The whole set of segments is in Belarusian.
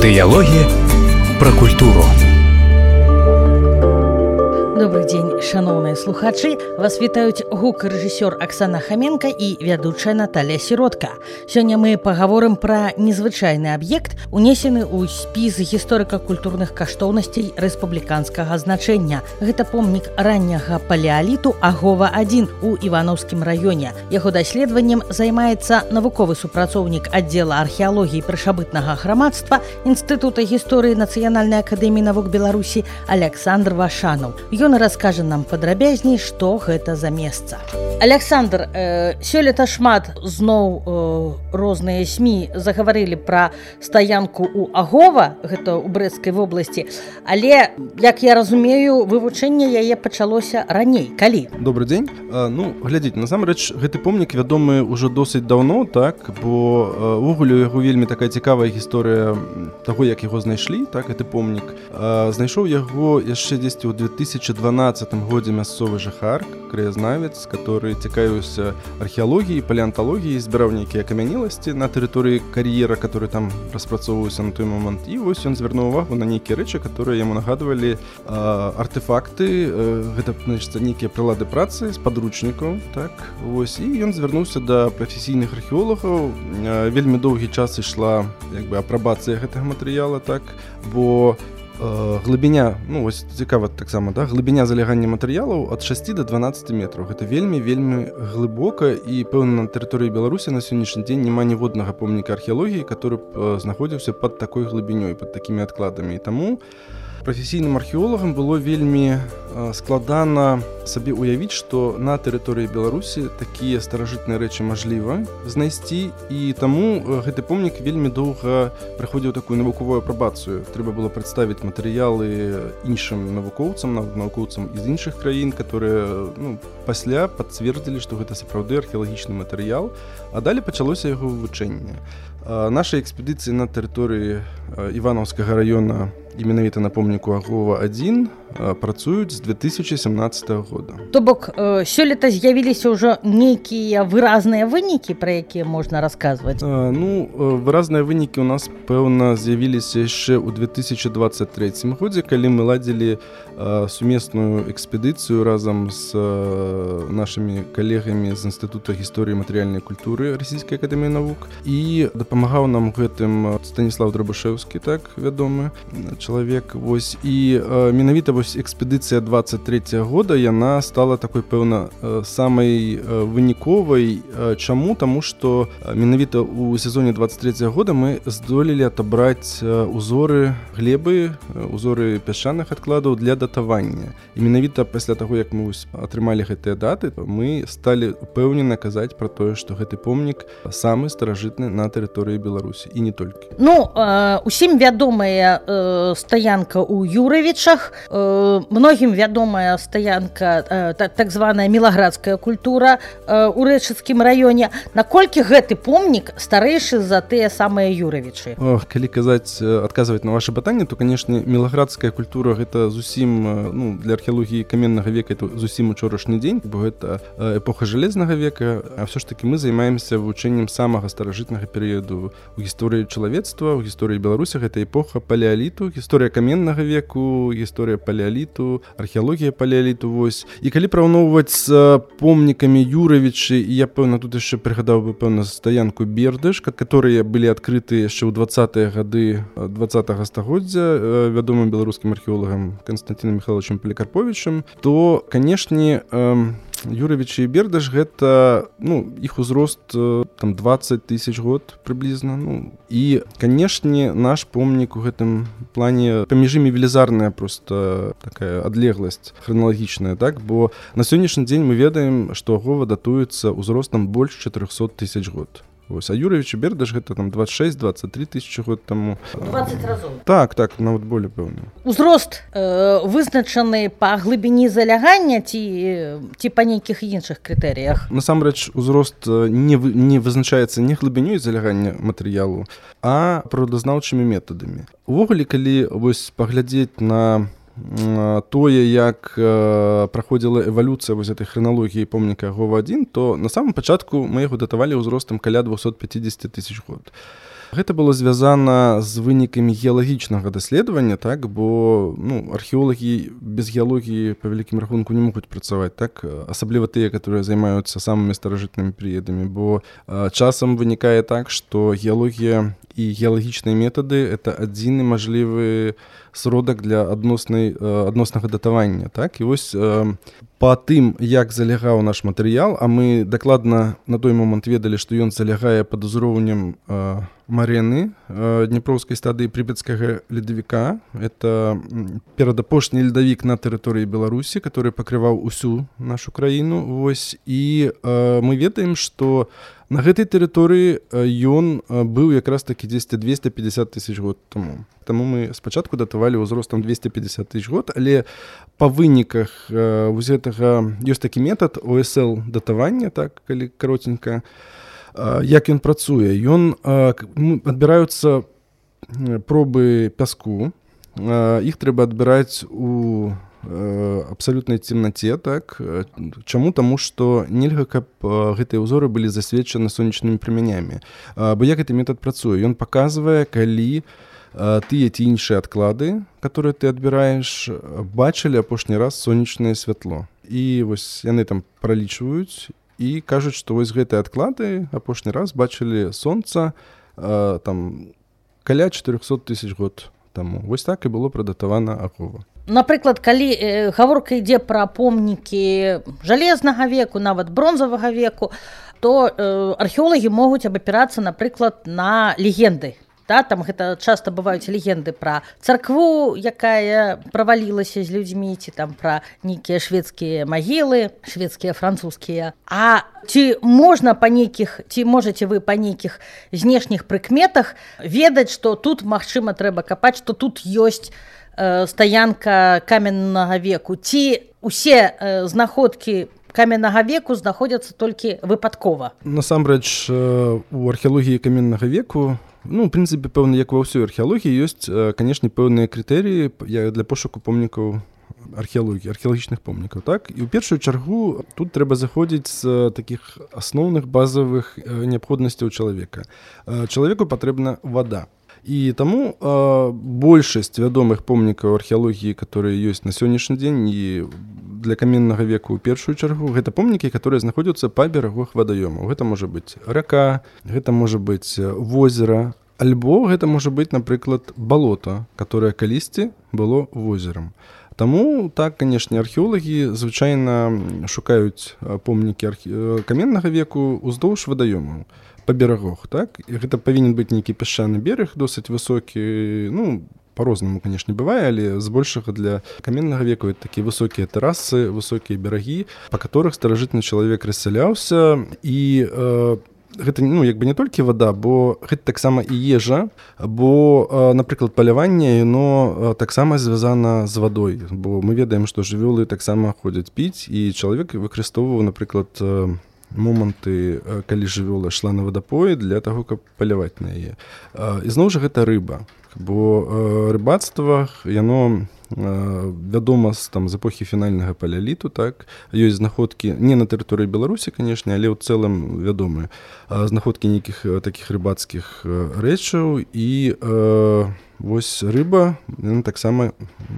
Дыялогі пра культуру. Добрый дзень, шановныя слухачы. Вас вітаюць гукарэжысёр Аксана Хаменка і вядучая Наталья Сіротка. Сёння мы пагаворым пра незвычайны аб'ект, унесены ў спіс гісторыка-культурных каштоўнасцей рэспубліканскага значэння. Гэта помнік ранняга палеаліту Агова-1 у Іванаўскім раёне. Яго даследаваннем займаецца навуковы супрацоўнік аддзела археалогіі прышабытнага грамадства Інстытута гісторыі Нацыянальнай акадэміі навук Беларусі Александр Вашанаў. Ён раскажа нам падрабязней, што гэта за месца. Александр, сёлета шмат зноў розныя СМІ загаварылі пра стаянку ў Агова, гэта ў Брэсцкай вобласці, але, як я разумею, вывучэнне яе пачалося раней. Калі? Добры дзень. Глядзіце, насамрэч, гэты помнік вядомы ўжо досыць даўно, так, бо увогуле яго вельмі такая цікавая гісторыя таго, як яго знайшлі, так, гэты помнік. Знайшоў яго яшчэ дзесьці ў 2012 годзе мясцовы жыхар, краязнавец, который цікавіўся археалогіяй, палеанталогіяй, збіраў нейкія акамянеласці на тэрыторыі кар'ера, который там распрацоўваўся на той момант. І вось ён звярнуў увагу на нейкія рэчы, которые яму нагадвалі артефакты, гэта, значыць, нейкія прылады працы з падручнікаў, так, вось, і ён звярнуўся да прафесійных археолагаў. Вельмі доўгі час ішла, як бы, апрабацыя гэтага матэрыяла, так, бо глыбіня, вось цікава таксама, да, глыбіня залягання матэрыялаў ад 6 до 12 метраў. Гэта вельмі глыбока, і пэўна на тэрыторыі Беларусі на сённяшні дзень няма ніводнага помніка археалогіі, который б знаходзіўся пад такой глыбінёй, пад такімі адкладамі. І таму прафесійным археолагам было вельмі складана сабе уявіць, што на тэрыторыі Беларусі такія старажытныя рэчы мажліва знайсці, і таму гэты помнік вельмі доўга праходзіў такую навуковую апрабацыю. Трэба было прадставіць матэрыялы іншым навукоўцам, навукоўцам з іншых краін, которые пасля пацвердзілі, што гэта сапраўды археалагічны матэрыял, а далей пачалося яго вывучэнне. Наша экспедыцыі на тэрыторыі Іванаўскага раёна і менавіта на помніку Агова-1 працуюць з 2017 года. То бок, сёлета з'явіліся ўжо нейкія выразныя вынікі, пра якія можна расказваць? Выразныя вынікі ў нас, пэўна, з'явіліся яшчэ ў 2023 годзе, калі мы ладзілі сумесную экспедыцыю разам з нашымі калегамі з Інстытута гісторыі і матэрыяльнай культуры Расійскай акадэміі навук, і дапамагаў нам гэтым Станіслав Драбашэўскі, так, вядомы чалавек. Вось, і менавіта вось экспедыцыя 23 года, яна стала такой, пэўна, самай выніковай. Чаму? Таму што менавіта ў сезоне 23 года мы здолелі атабраць узоры глебы, узоры пясчаных адкладаў для датавання. І менавіта пасля таго, як мы атрымалі гэтыя даты, мы сталі упэўнена казаць пра тое, што гэты помнік самы старажытны на тэрыторыі Беларусі, і не толькі. Усім вядомая стаянка ў Юравічах, многім вядомая стаянка, так званая мілаградская культура ў Рэчыцкім раёне. Наколькі гэты помнік старэйшы за тыя самыя Юравічы? Калі адказваць на ваше пытанне, то, канешне, мілаградская культура гэта зусім, для археалогіі каменнага века это зусім учорашні дзень, бо гэта эпоха жалезнага века, а ўсё ж таки мы займаемся вывучэннем самага старажытнага перыяду ў гісторыі чалавецтва, ў гісторыі Беларусі. Гэта эпоха палеаліту, гісторыя каменнага веку, гісторыя палеаліту, археалогія палеаліту, вось. І калі параўноўваць з помнікамі Юравічы, я, пэўна, тут яшчэ прыгадаў бы, пэўна, стаянку Бердыш, которые былі адкрыты яшчэ ў 20-е гады 20-го стагоддзя вядомым беларускім археолагам Константином Михайловичем Поликарповичем, то, канешне, Юравічы і Бердыш гэта, іх узрост там 20 тысяч год прыблізна. І, канешне, наш помнік у гэтым плане паміж імі велізарная просто такая адлегласць храналагічная, так, бо на сённяшні дзень мы ведаем, што Агова датуецца ўзростам больш 400 тысяч год. Вось, а Юравіч і Бердыш гэта там 26-23 тысячи год таму. 20 разоў. Так, нават болей, пэўна. Узрост вызначаны па глыбіні залягання ці па нейкіх іншых крытэрыях? Насамрэч, узрост не вызначаецца не глыбінёй залягання матэрыялу, а прыродазнаўчымі метадамі. Увогуле, калі вось паглядзець на тое, як праходзіла эвалюцыя вось этой храналогіі помніка Агова-1, то на самом пачатку мы яго датавалі ўзростам каля 250 тысяч год. Гэта было звязана з вынікамі геалагічнага даследавання, так, бо археолагі без геалогіі па вялікім рахунку не могуць працаваць, так, асабліва тыя, которые займаюцца самымі старажытнымі перыядамі, бо часам вынікае так, што геалогія і геалагічныя метады — это адзіны мажлівы сродак для адноснага датавання, так, і вось па тым, як залягаў наш матэрыял, а мы дакладна на той момант ведалі, што ён залягае пад узроўнем марэны дняпроўскай стадыі прыпяцкага ледавіка. Это перадапошні ледавік на тэрыторыі Беларусі, который пакрываў усю нашу краіну. Вось, і мы ведаем, што на гэтай тэрыторыі ён быў якраз такі дзесьці 250 тысяч год таму. Таму мы спачатку датавалі ўзростам 250 тысяч год, але па выніках вось гэтага ёсць такі метад ОСЛ датавання, так, калі каротенька. Як ён працуе? Адбіраюцца пробы пяску, іх трэба адбіраць у абсалютнай цемнаце, так. Чаму? Таму што нельга, каб гэтыя ўзоры былі засвечаны сонечнымі прамянямі. Бо як гэты метад працуе? Ён паказвае, калі тыя ці іншыя адклады, которые ты адбіраеш, бачылі апошні раз сонечнае святло. І вось яны там пралічваюць і кажуць, што вось гэтыя адклады апошні раз бачылі сонца там каля 400 тысяч год таму. Вось так і было прадатавана ахова. Напрыклад, калі гаворка ідзе пра помнікі жалезнага веку, нават бронзавага веку, то археолагі могуць абапірацца, напрыклад, на легенды. Да, там гэта часта бываюць легенды пра царкву, якая правалілася з людзьмі, ці там пра нейкія шведскія магілы, шведскія, французскія. А ці можна па нейкіх, ці можаце вы па нейкіх знешніх прыкметах ведаць, што тут, магчыма, трэба капаць, што тут ёсць стаянка каменнага веку, ці усе знаходкі каменнага веку знаходзяцца толькі выпадкова? Насамрэч, у археалогіі каменнага веку, в прынцыпе, пэўна, як ва ўсёй археалогіі, ёсць, канешне, пэўныя крытэрыі для пошуку помнікаў археалогіі, археалагічных помнікаў, так? І ў першую чаргу тут трэба заходзіць з такіх асноўных базавых неабходнасцяў чалавека. Чалавеку патрэбна вада. І таму большасць вядомых помнікаў археалогіі, которые ёсць на сённяшні дзень і для каменнага веку ў першую чаргу, гэта помнікі, которые знаходзяцца па берагах вадаёмаў. Гэта можа быць рака, гэта можа быць возера, альбо гэта можа быць, напрыклад, балота, которое калісьці было возерам. Таму, так, канешне, археолагі звычайна шукаюць помнікі каменнага веку ўздоўж вадаёмаў па берагах, так? І гэта павінен быць нейкі пясчаны берег, досыць высокі, по-рознаму, канешне, бывае, але збольшага для каменнага веку это такія высокія тэрасы, высокія берагі, па которых старажытны чалавек рассяляўся, і гэта, як бы не толькі вада, бо гэта таксама і ежа, бо, напрыклад, паляванне, яно таксама звязана з вадой, бо мы ведаем, што жывёлы таксама ходзяць піць, і чалавек выкарыстоўваў, напрыклад, моманты, калі жывёла шла на вадапой для таго, каб паляваць на яе. І зноў жа гэта рыба, бо рыбацтва, яно вядома з эпохі фінальнага палеаліту, так, ёсць знаходкі не на тэрыторыі Беларусі, канешне, але ў цэлым вядомыя знаходкі нейкіх такіх рыбацкіх рэчаў, і вось рыба, яна таксама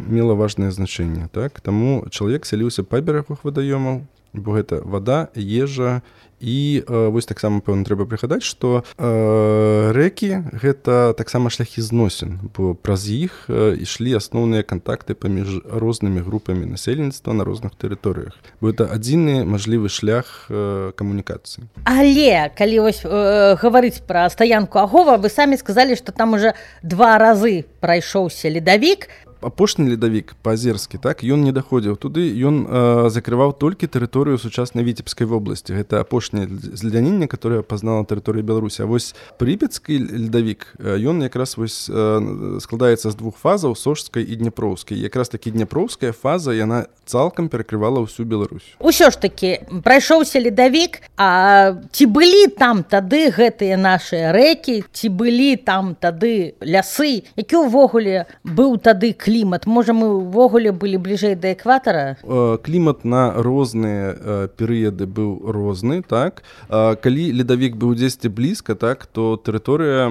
мела важнае значэнне, так, таму чалавек сяліўся па берагах вадаёмаў, бо гэта вада, ежа, і вось таксама, пэўна, трэба прыгадаць, што рэкі — гэта таксама шляхі зносін, бо праз іх ішлі асноўныя кантакты паміж рознымі групамі насельніцтва на розных тэрыторыях. Бо гэта адзіны мажлівы шлях камунікацыі. Але, калі вось гаварыць пра стаянку Агова, вы самі сказалі, што там уже 2 разы прайшоўся ледавік. Апошні ледавік па-азерскі, так, ён не даходзіў туды, ён закрываў толькі тэрыторыю сучаснай Віцебскай вобласці. Гэта апошняе зледзяненне, которое пазнала тэрыторыя Беларусі. А вось прыпяцкі ледавік, ён якраз вось складаецца з 2 фазаў, сожскай і дняпроўскай. Якраз такі дняпроўская фаза, яна цалкам перакрывала ўсю Беларусь. Усё ж такі прайшоўся ледавік, а ці былі там тады гэтыя нашыя рэкі, ці былі там тады лясы, які ўвогуле быў тады клімат клімат? Можа, мы ўвогуле былі бліжэй да экватара? Клімат на розныя перыяды быў розны, так. Калі ледавік быў дзесьці блізка, так, то тэрыторыя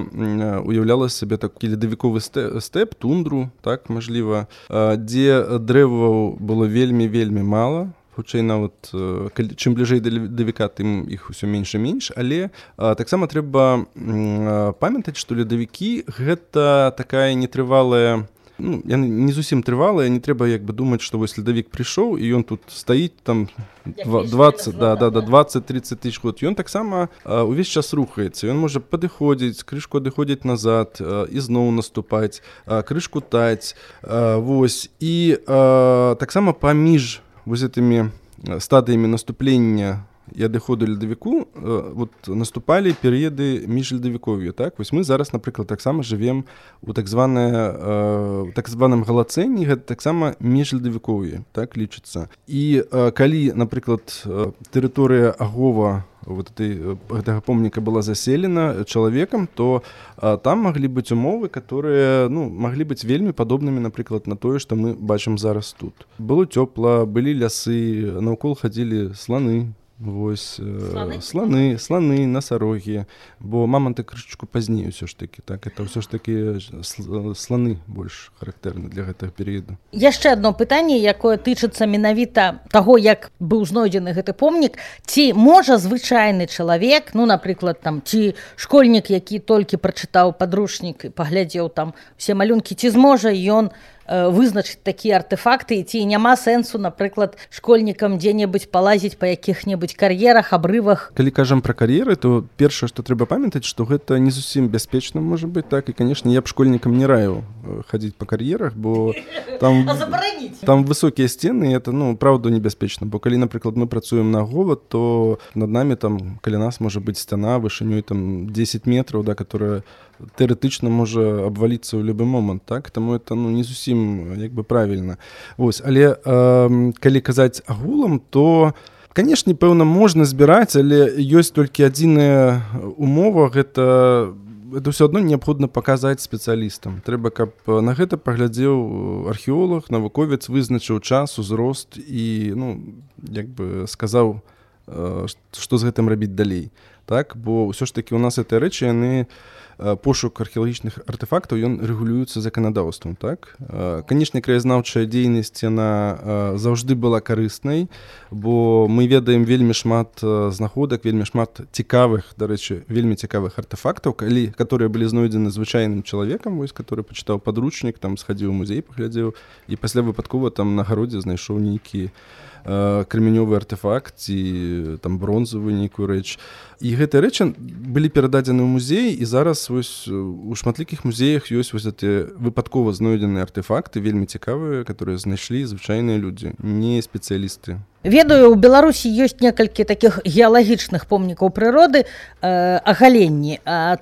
уяўляла сабе такі ледавіковы стэп, тундру, так, мажліва, дзе дрэваў было вельмі мала. Хутчэй нават чым бліжэй да ледавіка, тым іх усё менш і менш, але таксама трэба памятаць, што ледавікі гэта такая нетрывалая, ну, яны не зусім трывалая, не трэба як бы думаць, што вось ледавік прыйшоў і ён тут стаіць там 20-30 тысяч год. Ён таксама увесь час рухаецца. Ён можа падыходзіць, крышку адыходзіць назад, ізноў наступаць, крышку таць. Вось. І таксама паміж вось гэтымі стадыямі наступлення і адыходу ледавіку вот наступалі перыяды міжледавіков'я, так? Вось мы зараз, напрыклад, таксама жывем у так званым галацэне, гэта таксама міжледавіков'е, так лічыцца. І калі, напрыклад, тэрыторыя Агова вот гэтага помніка была заселена чалавекам, то там маглі быць умовы, которые, ну, маглі быць вельмі падобнымі, напрыклад, на тое, што мы бачым зараз тут. Было цёпла, былі лясы, наўкол хадзілі сланы, вось, сланы, насарогі, бо маманты крышачку пазней ўсё ж такі, так, это ўсё ж такі сланы больш характэрны для гэтага перыяду. Яшчэ адно пытанне, якое тычыцца менавіта таго, як быў знойдзены гэты помнік, ці можа звычайны чалавек, ну, напрыклад, там, ці школьнік, які толькі прачытаў падручнік і паглядзеў там усе малюнкі, ці зможа ён вызначыць такія артефакты, ці няма сэнсу, напрыклад, школьнікам дзе-небудзь палазіць па якіх-небудзь кар'ерах, абрывах? Калі кажам пра кар'еры, то першае, што трэба памятаць, што гэта не зусім бяспечна можа быць, так, і, канешне, я б школьнікам не раіў хадзіць па кар'ерах, бо там высокія сцены, это, ну, праўда, небяспечна, бо калі, напрыклад, мы працуем на Агова, то над намі там каля нас можа быць сцяна вышынёй там 10 метраў, да, которая тэарэтычна можа абваліцца ў любы момант, так, таму это, ну, не зусім як бы правільна. Вось, але калі казаць агулам, то, канешне, пэўна, можна збіраць, але ёсць толькі адзіная умова, гэта ўсё адно неабходна паказаць спецыялістам. Трэба, каб на гэта паглядзеў археолог, навуковец, вызначыў час, узрост і, ну, як бы сказаў, што з гэтым рабіць далей. Так, бо ўсё ж такі у нас гэтыя рэчы, яны пошук археалагічных артефактаў, ён рэгулюецца заканадаўствам, так? Канешне, краязнаўчая дзейнасць, яна заўжды была карыснай, бо мы ведаем вельмі шмат знаходак, вельмі шмат цікавых, дарэчы, вельмі цікавых артефактаў, которые былі знойдзены звычайным чалавекам, вось, который пачытаў падручнік, там схадзіў у музей, паглядзеў, і пасля выпадкова там на гародзе знайшоў нейкі крамянёвы артефакт ці там бронзавую нейкую рэч. І гэтыя рэчы былі перададзены ў музей, і зараз вось у шматлікіх музеях ёсць вось гэтыя выпадкова знойдзеныя артефакты, вельмі цікавыя, которые знайшлі звычайныя людзі, не спецыялісты. Ведаю, у Беларусі ёсць некалькі такіх геалагічных помнікаў прыроды, агаленні.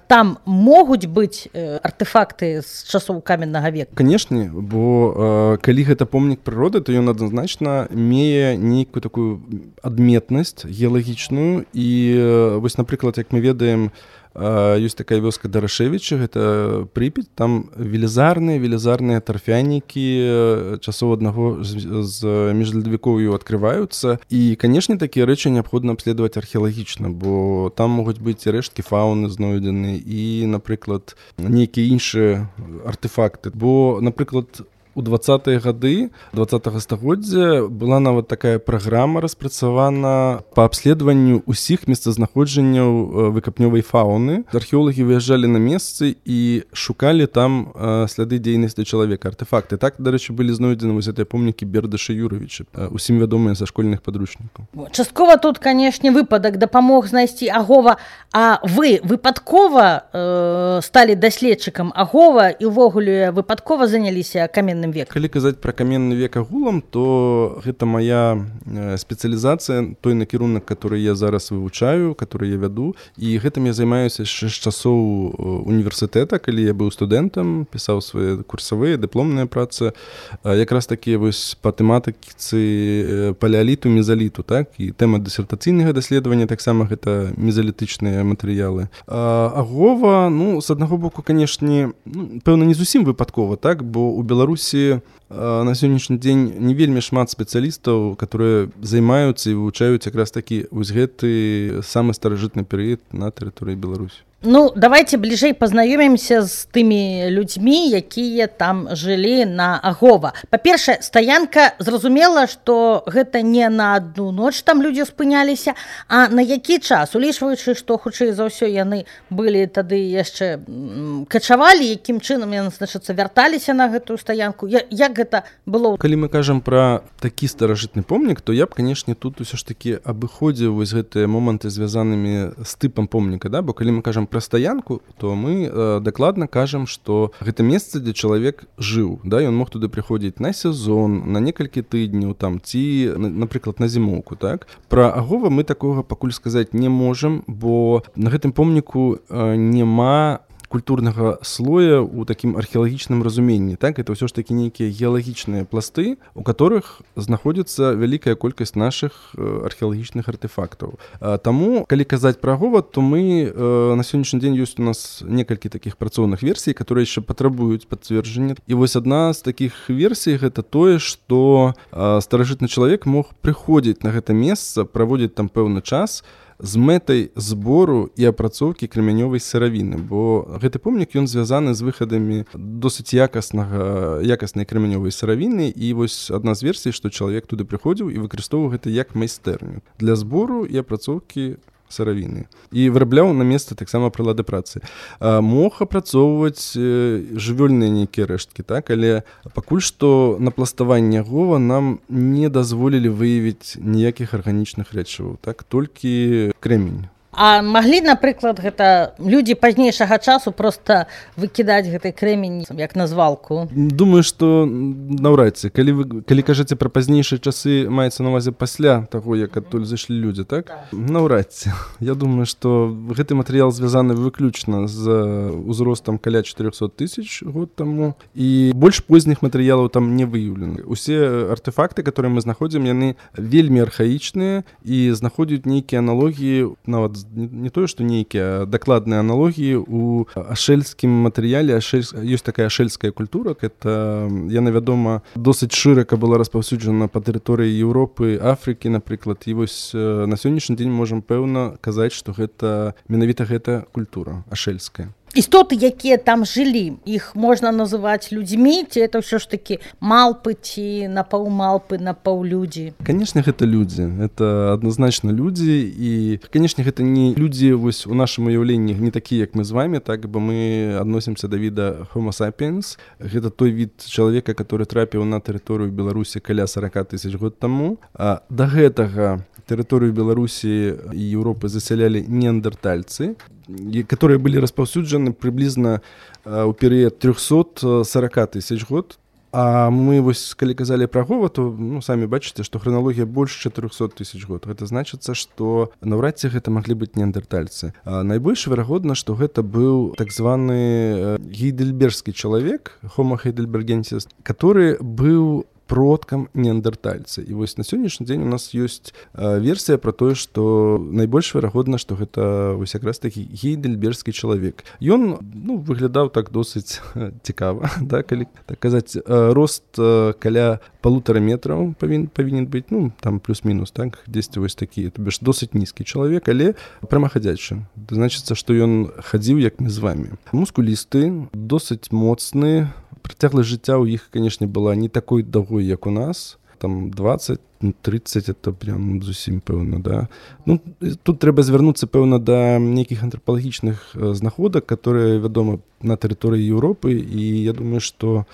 Там могуць быць артефакты з часоў каменнага века? Канешне, бо калі гэта помнік прыроды, то ён адназначна мее нейкую такую адметнасць геалагічную. І вось, напрыклад, як мы ведаем, ёсць такая вёска Дарашевіча, гэта Прыпяць, там велізарныя тарфянікі часоў аднаго з міжледавікоўю адкрываюцца. І, канешне, такія рэчы неабходна абследаваць археалагічна, бо там могуць быць рэшткі фауны знойдзены і, напрыклад, нейкія іншыя артефакты. Бо, напрыклад, у 20-е гады 20-го стагоддзя была нават такая праграма распрацавана па абследаванню ўсіх месцазнаходжанняў выкапнёвай фауны. Археолагі выязджалі на месцы і шукалі там сляды дзейнасці чалавека, артефакты. Так, дарэчы, былі знойдзены вось гэтыя помнікі Бердаша Юравіча, усім вядомыя са школьных падручнікаў. Часткова тут, канешне, выпадак дапамог знайсці Агова, а вы выпадкова сталі даследчыкам Агова і ўвогуле выпадкова заняліся каменным векам? Калі казаць пра каменны век агулам, то гэта моя спецыялізацыя, той накірунак, который я зараз вывучаю, который я вяду, і гэтым я займаюся яшчэ з часоў універсітэта, калі я быў студэнтам, пісаў свае курсавыя, дыпломныя працы, якраз такі вось па тэматыцы палеаліту, мезаліту, так, і тэма дысертацыйнага даследавання таксама гэта мезалітычныя матэрыялы. Агова, ну, з аднаго боку, канешне, пэўна, не зусім выпадкова, так, бо у Беларусі сути, на сённяшні дзень не вельмі шмат спецыялістаў, которые займаюцца і вывучаюць якраз такі вось гэты самы старажытны перыяд на тэрыторыі Беларусі. Ну, давайте бліжэй пазнаёмімся з тымі людзьмі, якія там жылі на Агова. Па-першае, стаянка, зразумела, што гэта не на адну ноч там людзі спыняліся, а на які час, улічваючы, што хутчэй за ўсё яны былі тады яшчэ качавалі, якім чынам яны, значыцца, вярталіся на гэтую стаянку. Як гэта было? Калі мы кажам пра такі старажытны помнік, то я б, канешне, тут усё ж такі абыходзіў вось гэтыя моманты, звязанымі з тыпам помніка, да? Бо калі мы кажам пра стаянку, то мы дакладна кажам, што гэта месца, дзе чалавек жыў, да? Ён мог туды прыходзіць на сезон, на некалькі тыдняў там, ці, напрыклад, на зімоўку, так? Пра Агова мы такога пакуль сказаць не можам, бо на гэтым помніку няма культурнага слоя ў такім археалагічным разуменні, так? Это ўсё ж такі нейкія геалагічныя пласты, у которых знаходзіцца вялікая колькасць нашых археалагічных артефактаў. Таму, калі казаць пра Агова, то мы на сённяшні дзень ёсць у нас некалькі такіх працоўных версій, которые яшчэ патрабуюць пацверджання. І вось адна з такіх версій гэта тое, што старажытны чалавек мог прыходзіць на гэта месца, праводзіць там пэўны час з мэтай збору і апрацоўкі крамянёвай сыравіны, бо гэты помнік ён звязаны з выхадамі досыць якаснай крамянёвай сыравіны, і вось адна з версій, што чалавек туды прыходзіў і выкарыстоўваў гэта як майстэрню для збору і апрацоўкі сыравіны. І вырабляў на месца таксама прылады працы. Мог апрацоўваць жывёльныя нейкія рэшткі, так? Але пакуль што на пластаванне Агова нам не дазволілі выявіць ніякіх арганічных рэчываў, так? Толькі крэмень. А маглі, напрыклад, гэта людзі пазнейшага часу проста выкідаць гэты крэмень як на звалку? Думаю, што наўрад ці. Калі кажаце пра пазнейшыя часы, маецца на ўвазе пасля таго, як адтуль зайшлі людзі, так? Наўрад ці. Я думаю, што гэты матэрыял звязаны выключна з узростам каля 400 тысяч год таму, і больш позніх матэрыялаў там не выяўлены. Усе артефакты, которые мы знаходзім, яны вельмі архаічныя і знаходзяць нейкія аналогіі, нават не тое, што нейкія дакладныя аналогіі у ашэльскім матэрыяле. Ёсць такая ашэльская культура, это, яна, вядома, досыць шырака была распаўсюджана па тэрыторыі Еўропы, Афрыкі, напрыклад. І вось на сённяшні дзень можам пэўна казаць, што гэта менавіта гэта культура ашэльская. Істоты, якія там жылі, іх можна называць людзьмі, ці это ўсё ж такі малпы, ці напаўмалпы, напаўлюдзі? Канешне, гэта людзі. Это адназначна людзі, і, канешне, гэта не людзі вось у нашым уяўленні не такія, як мы з вами, так, бо мы адносімся да віда Homo sapiens. Гэта той від чалавека, который трапіў на тэрыторыю Беларусі каля 40 тысяч год таму. А да гэтага тэрыторыю Беларусі і Еўропы засялялі неандертальцы, которые были распаўсюджаны прыблізна ў перыяд 340 тысяч год. А мы вось, калі казалі пра Агова, то самі бачыце, што храналогія больш 400 тысяч год. Гэта значыцца, што наўрад ці гэта маглі быць неандертальцы. Найбольш верагодна, што гэта быў так званы гейдельбергскі чалавек, Homo heidelbergensis, который быў продкам неандертальцы. І вось на сённяшні дзень у нас ёсць версія пра тое, што найбольш верагодна, што гэта вось якраз такі гейдельбергскі чалавек. Ён выглядаў так досыць цікава, да, калі так казаць. Рост каля 1,5 метраў павінен быць, там плюс-мінус, так, дзесьці вось такі, то бишь досыць нізкі чалавек, але прамахадзячы. Значыцца, што ён хадзіў як мы з вами. Мускулісты, досыць моцны. Працягласць жыцця ў іх, канешне, была не такой даўгой, як у нас. Там 20-30, это прям зусім пэўна, да. Тут трэба звярнуцца, пэўна, да нейкіх антрапалагічных знаходак, которые, вядома, на тэрыторыі Еўропы, і я думаю, што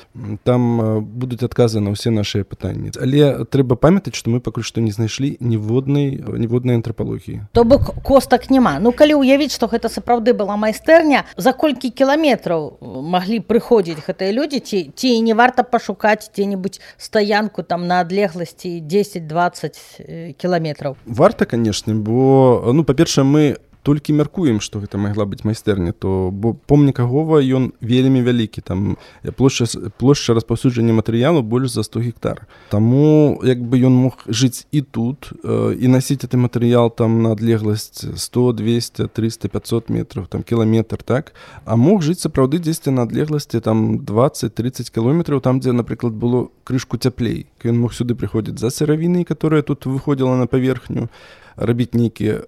там будуць адказы на ўсе нашыя пытанні. Але трэба памятаць, што мы пакуль што не знайшлі ніводнай антрапалогіі. То бок костак няма. Калі ўявіць, што гэта сапраўды была майстэрня, за колькі кіламетраў маглі прыходзіць гэтыя людзі, ці не варта пашукаць дзе-небудзь стаянку там на адлегласці 10-20 кіламетраў? Варта, канешне, бо, па-першае, мы толькі мяркуем, што гэта магла быць майстэрня, то бо помнік Агова ён вельмі вялікі, там плошча распаўсюджання матэрыялу больш за 100 гектар. Таму як бы ён мог жыць і тут, і насіць гэты матэрыял там на адлегласць 100, 200, 300, 500 метров, там кіламетр, так? А мог жыць сапраўды дзесьці на адлегласці там 20-30 кілометраў, там, дзе, напрыклад, было крышку цяплей. Ён мог сюды прыходзіць за сыравінай, которая тут выходзіла на паверхню, рабіць нейкія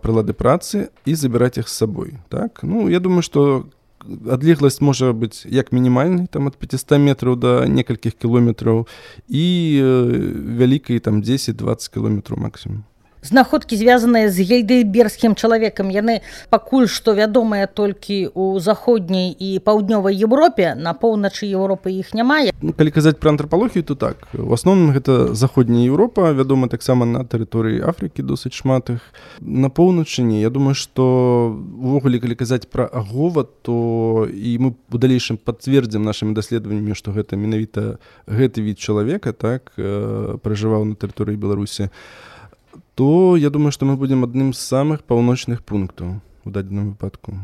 прылады працы і забіраць іх з сабой. Так? Ну, я думаю, што адлегласць можа быць як мінімальнай, там ад 500 метраў да некалькіх кілометраў і вялікай там 10-20 кілометраў максімум. Знаходкі, звязаныя з гейдельбергскім чалавекам, яны пакуль што вядомыя толькі ў заходняй і паўднёвай Европе, на поўначы Еўропы іх няма. Ну, калі казаць пра антрапалогію, то так. У асноўным гэта заходняя Еўропа, вядома таксама на тэрыторыі Афрыкі досыць шмат іх. На поўначы не. Я думаю, што увогуле, калі казаць пра Агова, то і мы у далейшым пацвердзім нашымі даследаваннямі, што гэта менавіта гэты від чалавека, так, пражываў на тэрыторыі Беларусі, то я думаю, што мы будзем адным з самых паўночных пунктаў у дадзеным выпадку.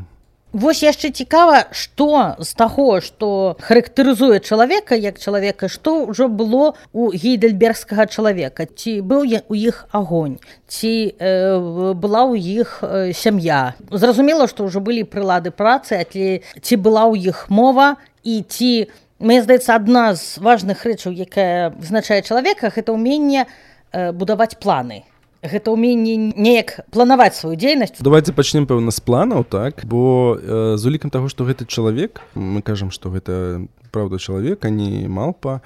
Вось яшчэ цікава, што з таго, што характарызуе чалавека як чалавека, што ўжо было у гейдельбергскага чалавека. Ці быў у іх агонь, ці была ў іх сям'я. Зразумела, што ўжо былі прылады працы, ці была ў іх мова, і ці, мне здаецца, адна з важных рэчаў, якая вызначае чалавека, гэта ўменне будаваць планы. Гэта ўменне неяк планаваць сваю дзейнасць. Давайце пачнем, пэўна, з планаў, так? Бо з улікам таго, што гэты чалавек, мы кажам, што гэта праўда чалавек, а не малпа,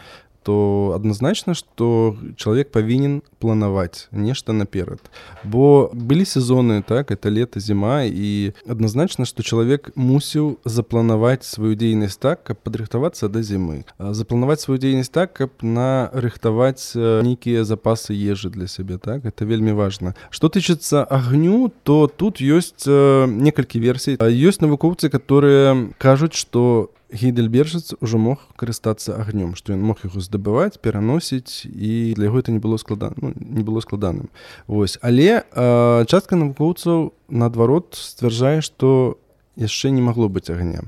то адназначна, што чалавек павінен планаваць нешта наперад. Бо былі сезоны, так, это лета, зіма, і адназначна, што чалавек мусіў запланаваць сваю дзейнасць так, каб падрыхтавацца да зімы. Запланаваць сваю дзейнасць так, каб нарыхтаваць нейкія запасы ежы для сябе, так? Это вельмі важна. Што тычыцца агню, то тут ёсць некалькі версій. Ёсць навукоўцы, которые кажуць, што гейдельбержец ужо мог карыстацца агнём, што ён мог яго здабываць, пераносіць, і для яго это не было складаным. Вось. Але частка навукоўцаў, наадварот, сцвярджае, што яшчэ не магло быць агня.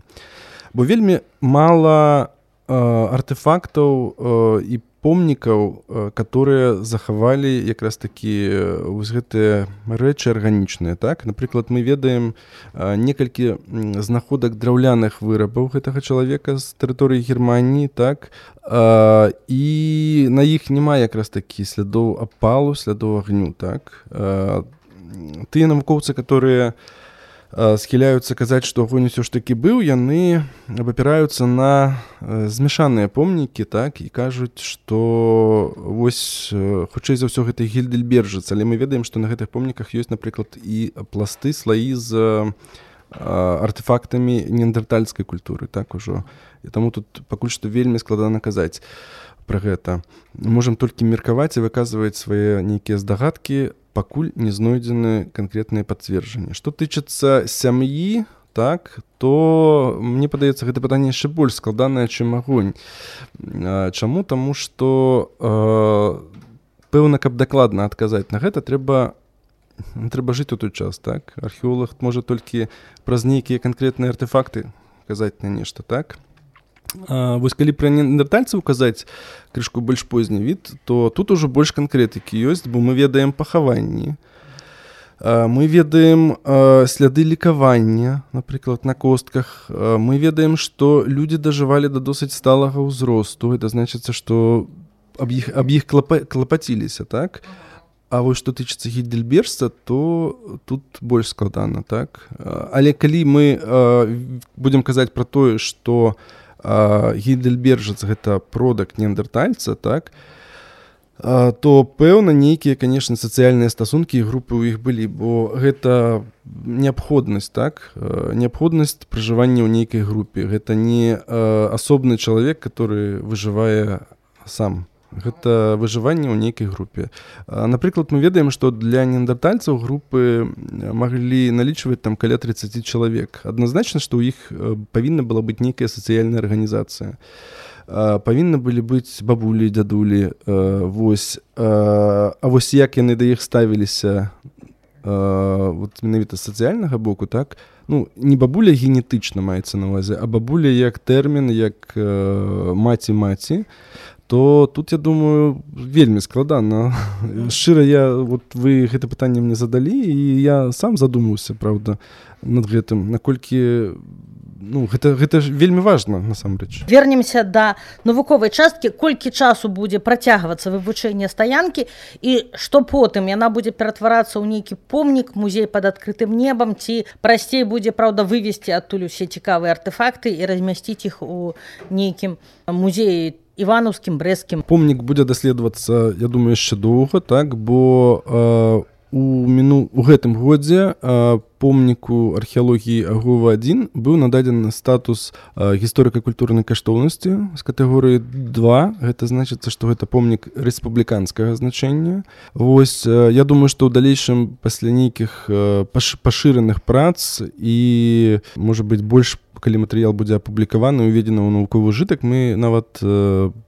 Бо вельмі мала артефактаў і помнікаў, которые захавалі якраз такі вось гэтыя рэчы арганічныя, так? Напрыклад, мы ведаем некалькі знаходак драўляных вырабаў гэтага чалавека з тэрыторыі Германіі, так? І на іх няма якраз такі слядоў апалу, слядоў агню, так? Тыя навукоўцы, которые схіляюцца казаць, што агонь усё ж такі быў, яны абапіраюцца на змяшаныя помнікі, так, і кажуць, што вось хутчэй за ўсё гэта гейдельбержец, але мы ведаем, што на гэтых помніках ёсць, напрыклад, і пласты, слаі з артефактамі неандертальскай культуры, так ужо. І таму тут пакуль што вельмі складана казаць пра гэта. Можам толькі меркаваць і выказваць свае нейкія здагадкі, пакуль не знойдзены канкрэтныя пацверджанні. Што тычыцца сям'і, так, то мне падаецца, гэта пытанне яшчэ больш складанае, чым агонь. Чаму? Таму што пэўна, каб дакладна адказаць на гэта, трэба жыць у той час, так? Археолог можа толькі праз нейкія канкрэтныя артефакты казаць на нешта, так? Вось калі пра неандертальцаў казаць крышку больш позні від, то тут ужо больш канкрэтыкі ёсць, бо мы ведаем пахаванні, мы ведаем сляды лікавання, напрыклад, на костках, мы ведаем, што людзі дажывалі да досыць сталага ўзросту, это значыцца, што аб іх клапаціліся, так? А вось што тычыцца гейдельбержца, то тут больш складана, так? Але калі мы будзем казаць пра тое, што гейдельбержец гэта продак неандертальца, так, то пэўна нейкія, канешне, сацыяльныя стасункі і групы ў іх былі, бо гэта неабходнасць, так, неабходнасць пражывання ў нейкай групе. Гэта не асобны чалавек, который выжывае сам. Гэта выжыванне ў нейкай групе. Напрыклад, мы ведаем, што для неандертальцаў групы маглі налічваць там каля 30 чалавек. Адназначна, што ў іх павінна была быць нейкая сацыяльная арганізацыя. Павінны былі быць бабулі, дзядулі. Вось. А вось як яны да іх ставіліся, вот менавіта з сацыяльнага боку, так, ну, не бабуля генетычна маецца на ўвазе, а бабуля як тэрмін, як маці-маці, то тут, я думаю, вельмі складана. Шчыра, вот вы гэта пытанне мне задалі, і я сам задумаўся, правда, над гэтым, наколькі, ну, гэта ж вельмі важна, насамрэч. Вернемся да навуковай часткі. Колькі часу будзе працягвацца вывучэнне стаянкі, і што потым яна будзе ператварацца ў нейкі помнік, музей пад адкрытым небам, ці прасцей будзе, праўда, вывесці адтуль усе цікавыя артэфакты і размясціць іх у нейкім музеі іванаўскім, брэсцкім. Помнік будзе даследавацца, я думаю, яшчэ доўга, так, бо у гэтым годзе помніку археалогіі Агова-1 быў нададзены статус гісторыка-культурнай каштоўнасці з катэгорыі 2. Гэта значыцца, што гэта помнік рэспубліканскага значэння. Вось, я думаю, што ў далейшым пасля нейкіх пашыраных прац і, можа быць, больш калі матэрыял будзе апублікаваны, уведзены ў навуковы ўжытак, мы нават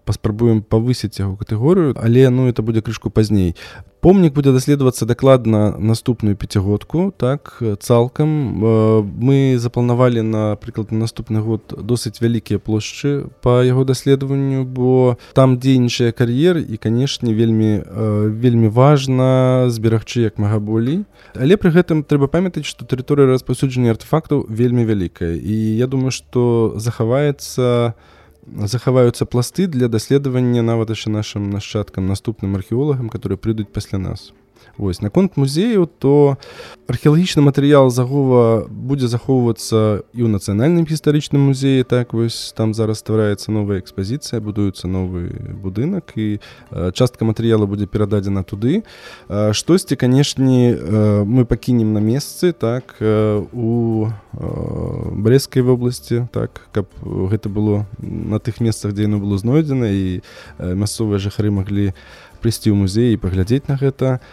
паспрабуем павысіць яго катэгорыю, але, ну, это будзе крышку пазней. Помнік будзе даследавацца дакладна наступную пяцігодку, так, цалкам. Мы запланавалі, напрыклад, на наступны год досыць вялікія плошчы па яго даследаванню, бо там дзейнічае кар'ер і, канешне, вельмі важна зберагчы як мага болей. Але пры гэтым трэба памятаць, што тэрыторыя распаўсюджання артэфактаў вельмі вялікая. І я думаю, што захаваюцца пласты для даследавання нават яшчэ нашым нашчадкам, наступным археолагам, которые прыйдуць пасля нас. Вось, наконт музею, то археалагічны матэрыял з Агова будзе захоўвацца і ў нацыянальным гістарычным музеі, так, вось, там зараз ствараецца новая экспазіцыя, будуецца новы будынак, і частка матэрыяла будзе перададзена туды. Штосьці, канешне, мы пакінем на месцы, так, у Брэсцкай вобласці, так, каб гэта было на тых месцах, дзе яно было знойдзена, і мясцовыя жыхары маглі прыйсці ў музей і паглядзець на гэта.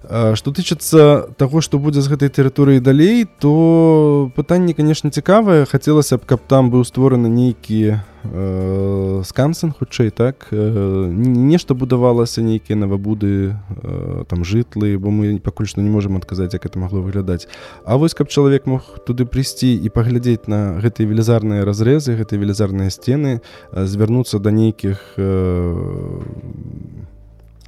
Што тычыцца таго, што будзе з гэтай тэрыторыі далей, то пытанне, канешне, цікавае. Хацелася б, каб там быў створаны нейкі скансен, хутчэй, так, нешта будавалася, нейкія навабуды, там, жытлы, бо мы пакуль што не можам адказаць, як это магло выглядаць. А вось, каб чалавек мог туды прыйсці і паглядзець на гэтыя велізарныя разрэзы, гэтыя велізарныя сцены, звярнуцца да нейкіх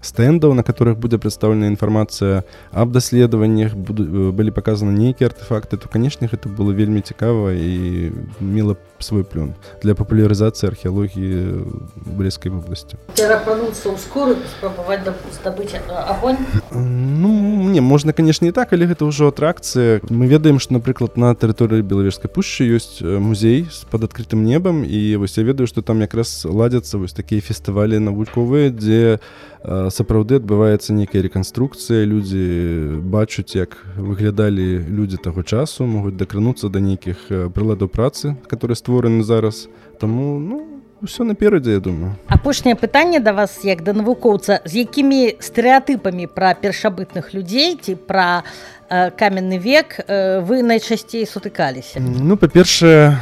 стэндаў, на которых будзе прадстаўлена інфармацыя аб даследаваннях, былі паказаны нейкія артэфакты, то, канешне, гэта было вельмі цікава і мела свой плён для папулярызацыі археалогіі Брэсцкай вобласці. Перапрануцца ў скуры, спрабаваць здабыць агонь? Ну, не, можна, канешне, і так, але гэта ўжо атракцыя. Мы ведаем, што, напрыклад, на тэрыторыі Белавежскай пушчы ёсць музей пад адкрытым небам, і вось я ведаю, што там якраз ладзяцца вось такія фестывалі навуковыя, дзе сапраўды адбываецца нейкая рэканструкцыя, людзі бачуць, як выглядалі людзі таго часу, могуць дакрануцца да нейкіх прыладаў працы, которые створаны зараз. Таму, ну, усё наперадзе, я думаю. Апошняе пытанне да вас, як да навукоўца. З якімі стэрэатыпамі пра першабытных людзей ці пра каменны век вы найчасцей сутыкаліся? Ну, па-першае,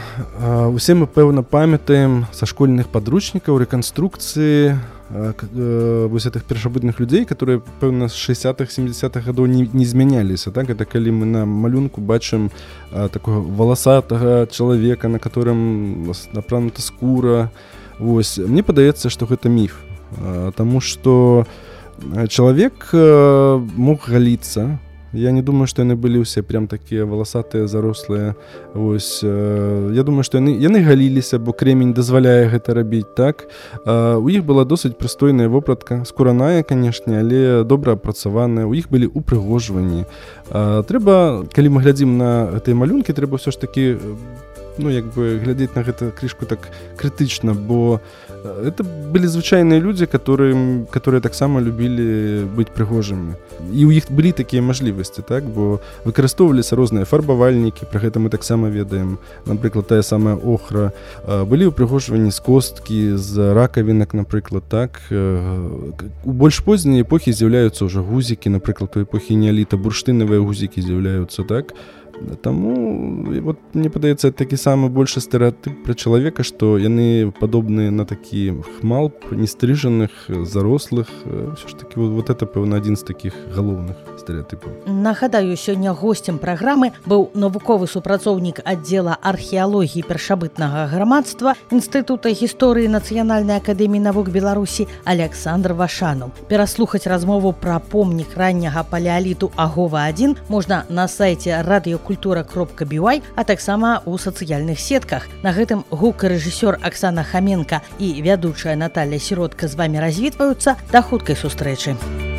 усе мы, пэўна, памятаем са школьных падручнікаў рэканструкцыі вось гэтых першабытных людзей, которые, пэўна, з 60-х, 70-х гадоў не змяняліся, так? Это калі мы на малюнку бачым такого валасатага чалавека, на которым апранута скура. Вось, мне падаецца, што гэта міф, таму што чалавек мог галіцца. Я не думаю, што яны былі ўсе прям такія валасатыя, зарослыя. Вось, я думаю, што яны галіліся, бо кремень дазваляе гэта рабіць, так? У іх была досыць прыстойная вопратка, скураная, канешне, але добра апрацаваная. У іх былі упрыгожванні. Трэба, калі мы глядзім на гэтыя малюнкі, трэба ўсё ж такі, ну, як бы глядзець на гэта крышку так крытычна, бо это былі звычайныя людзі, которые таксама любілі быць прыгожымі. І ў іх былі такія мажлівасці, так? Бо выкарыстоўваліся розныя фарбавальнікі, пра гэта мы таксама ведаем. Напрыклад, тая самая охра. Былі ўпрыгожванні з косткі, з ракавінак, напрыклад, так? У больш позній эпохі з'яўляюцца ўжо гузікі, напрыклад, у эпохі неаліта бурштынавыя гузікі з'яўляюцца, так? Таму вот мне падаецца такі самы большы стэрэатып пра чалавека, што яны падобныя на такі хмалп, нестрыжаных, зарослых. Ўсё ж такі вот это, пэўна, адзін з такіх галоўных стэрэатыпаў. Нагадаю, сёння госцем праграмы быў навуковы супрацоўнік аддзела археалогіі першабытнага грамадства Інстытута гісторыі Нацыянальнай акадэміі навук Беларусі Александр Вашанов. Пераслухаць размову пра помнік ранняга палеаліту Агова-1 можна на сайце radiokультура.by, а таксама ў сацыяльных сетках. На гэтым гукарэжысёр Аксана Хаменка і вядучая Наталья Сіротка з вамі развітваюцца. Да хуткай сустрэчы.